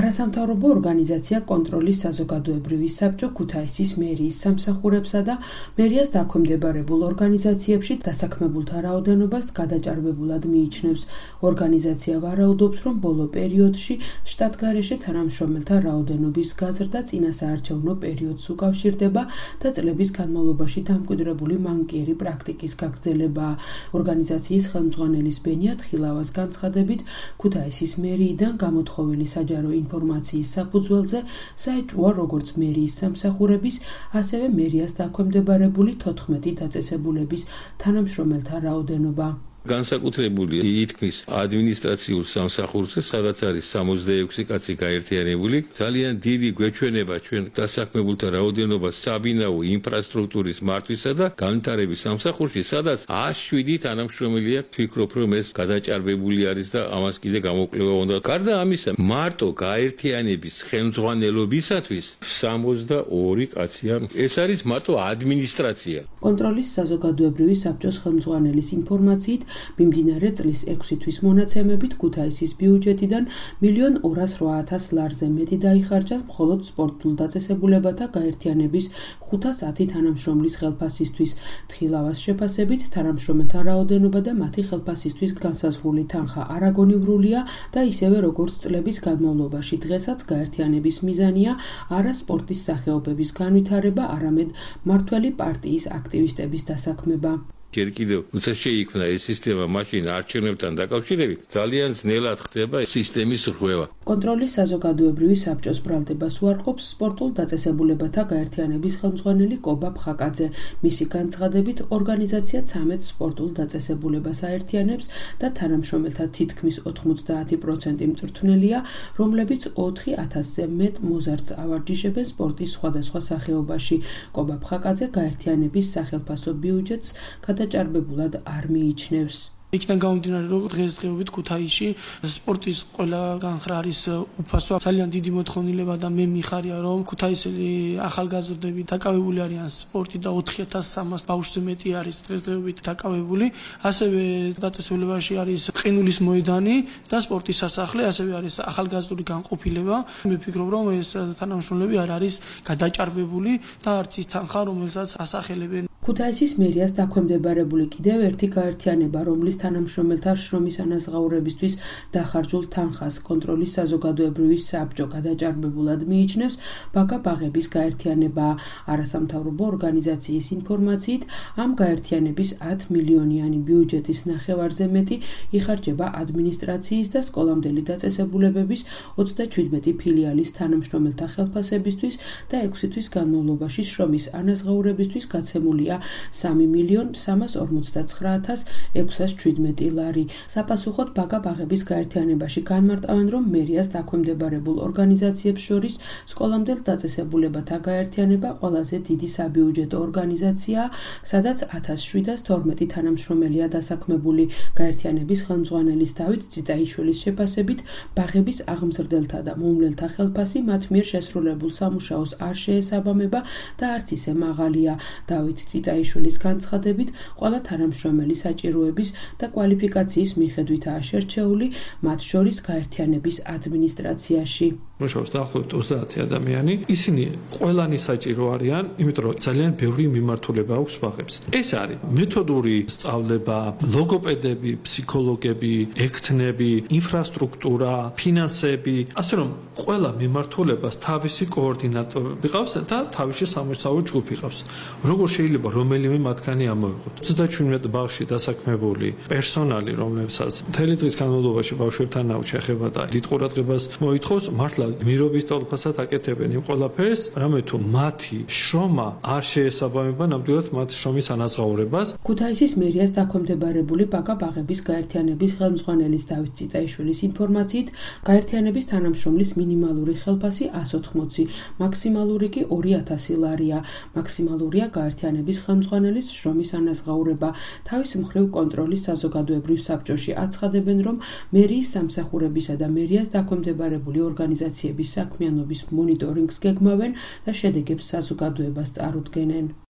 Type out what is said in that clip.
არასამთავრობო ორგანიზაცია კონტროლის საზოგადოებრივი საბჭო ქუთაისის მერიის სამსახურებსა და მერიას დაქვემდებარებულ ორგანიზაციებში დასაქმებულთა რაოდენობას გადაჭარბებულად მიიჩნევს. ორგანიზაცია ვარაუდობს, რომ ბოლო პერიოდში შტატგარეშე თანამშრომელთა რაოდენობის გაზრდა წინასაარჩევნო პერიოდს უკავშირდება და წლების განმავლობაში დამკვიდრებული მანკიერი პრაქტიკის გაგრძელებაა. ორგანიზაციის ხელმძღვანელის ბენია თხილავას განცხადებით, ქუთაისის მერიიდან გამოთხოვილი საჯარო ინფორმაციის საფუძველზე საეჭვოა როგორც მერიის სამსახურების, ასევე მერიას დაქვემდებარებული 14 დაწესებულების თანამშრომელთა რაოდენობა. განსაკუთრებული ითქმის ადმინისტრაციულ სამსახურზე, სადაც არის 66 კაცი გაერთიანებული, ძალიან დიდი გვეჩვენება ჩვენ დასაქმებულთა რაოდენობას საბინაო ინფრასტრუქტურის მართვისა და განვითარების სამსახურში, სადაც 107 თანამშრომელი აქვს. ვფიქრობ, რომ ეს გადაჭარბებული არის და ამას კიდე გამოკვლევა უნდა. გარდა ამისა, მარტო გაერთიანების ხელმძღვანელობისათვის 62 კაცია. ეს არის მარტო ადმინისტრაცია. კონტროლის საზოგადოებრივი საბჭოს ხელმძღვანელის ინფორმაციით, მიმდინარე წლის 6 თვის მონაცემებით ქუთაისის ბიუჯეტიდან 1.208.000 ლარზე მეტი დაიხარჯა მხოლოდ სპორტულ დაწესებულებათა გაერთიანების 510 თანამშრომლის ხელფასისთვის. თხილავას შეფასებით, თანამშრომელთა რაოდენობა და მათი ხელფასისთვის განსაზღვრული თანხა არაგონივრულია და ისევე როგორც წლების განმავლობაში დღესაც გაერთიანების მიზანია არა სპორტის სახეობების განვითარება, არამედ მმართველი პარტიის აქტივისტების დასაქმება. ჯერ კიდევ როცა შეიქმნა ეს სისტემა მაშინ არჩევნებთან დაკავშირებით ძალიან ძნელად ხდება სისტემის რღვევა. კონტროლის საზოგადოებრივი საბჭოს ბრალდებას უარყოფს სპორტულ დაწესებულებათა გაერთიანების ხელმძღვანელი კობა ფხაკაძე. მისი განცხადებით, ორგანიზაცია 13 სპორტულ დაწესებულებას აერთიანებს და თანამშრომელთა თითქმის 90% მწვრთნელია, რომლებიც 4000-ზე მეტ მოზარდს ავარჯიშებენ სპორტის სხვადასხვა სახეობაში. კობა ფხაკაძე გაერთიანების სახელფასო ბიუჯეტს გადაჭარბებულად არ მიიჩნევს. იქიდან გამომდინარე, რომ დღესდღეობით ქუთაისში სპორტის ყველა განხრა არის უფასო. ძალიან დიდი მოთხოვნილება და მე მიხარია, რომ ქუთაისელი ახალგაზრდები დაკავებული არიან სპორტით და 4300 ბავშვზე მეტი არის დღესდღეობით დაკავებული. ასევე დაწესებულებაში არის ყინულის მოედანი და სპორტის სასახლე, ასევე არის ახალგაზრდული განყოფილება. მე ვფიქრობ, რომ ეს თანამშრომლები არ არის გადაჭარბებული და არც ის თანხა, რომელსაც ასახელებენ. ქუთაისის მერიას დაქვემდებარებული კიდევ ერთი გაერთიანება, რომლის თანამშრომელთა შრომის ანაზღაურებისთვის დახარჯულ თანხას კონტროლის საზოგადოებრივი საბჭო გადაჭარბებულად მიიჩნევს, ბაგა ბაღების გაერთიანება. არასამთავრობო ორგანიზაციის ინფორმაციით, ამ გაერთიანების 10 მილიონიანი ბიუჯეტის ნახევარზე მეტი იხარჯება ადმინისტრაციის და სკოლამდელი დაწესებულებების 27 ფილიალის თანამშრომელთა ხელფასებისთვის და 6 თვის განმავლობაში შრომის ანაზღაურებისთვის გაცემულია 3.349.617 ლარი. საპასუხოდ ბაგა ბაღების გაერთიანებაში განმარტავენ, რომ მერიას დაქვემდებარებულ ორგანიზაციებს შორის სკოლამდელ დაწესებულებათა გაერთიანება ყველაზე დიდი საბიუჯეტო ორგანიზაციაა, სადაც 1712 თანამშრომელია დასაქმებული. გაერთიანების ხელმძღვანელის დავით ციტაიშვილის შეფასებით, ბაღების აღმზრდელთა და მომვლელთა ხელფასი მათ მიერ შესრულებულ სამუშაოს არ შეესაბამება და არც ისე მაღალია. დავით ციტაიშვილის განცხადებით, ყველა თანამშრომელი საჭიროების და კვალიფიკაციის მიხედვითაა შერჩეული, მათ შორის გაერთიანების ადმინისტრაციაში. მუშაობს დაახლოებით 30 ადამიანი. ისინი ყველანი საჭირო არიან, იმიტომ რომ ძალიან ბევრი მიმართულება აქვს ბაღებს. ეს არის მეთოდური სწავლება, ლოგოპედები, ფსიქოლოგები, ექთნები, ინფრასტრუქტურა, ფინანსები, ასე რომ ყველა მიმართულებას თავისი კოორდინატორი ყავს და თავისი სამუშაო ჯგუფი ყავს. როგორ შეიძლება რომელიმე მათგანი ამოვიღოთ. 37 ბაღში დასაქმებული პერსონალი, რომლებსაც მთელი დღის განმავლობაში ბავშვებთან შეეხება და დიდ ყურადღებას მოითხოვს, მართლა მირობის ტოლფასად აკეთებენ იმ ყველაფერს, რამე თუ მათი შრომა არ შეესაბამება ნამდვილად მათ შრომის ანაზღაურებას. ქუთაისის მერიას დაქვემდებარებული ბაგა ბაღების გაერთიანების ხელმძღვანელის დავით ციტაიშვილის ინფორმაციით, გაერთიანების თანამშრომლის მინიმალური ხელფასი 180, მაქსიმალური კი 2000 ლარია. მაქსიმალურია გაერთიანების ხელმძღვანელის შრომის ანაზღაურება. თავის მხრივ კონტროლის საზოგადოებრივ საბჭოში აცხადებენ, რომ მერიის სამსახურებისა და მერიას დაქვემდებარებული ორგანიზაციების საქმიანობის მონიტორინგს გეგმავენ და შედეგებს საზოგადოებას წარუდგენენ.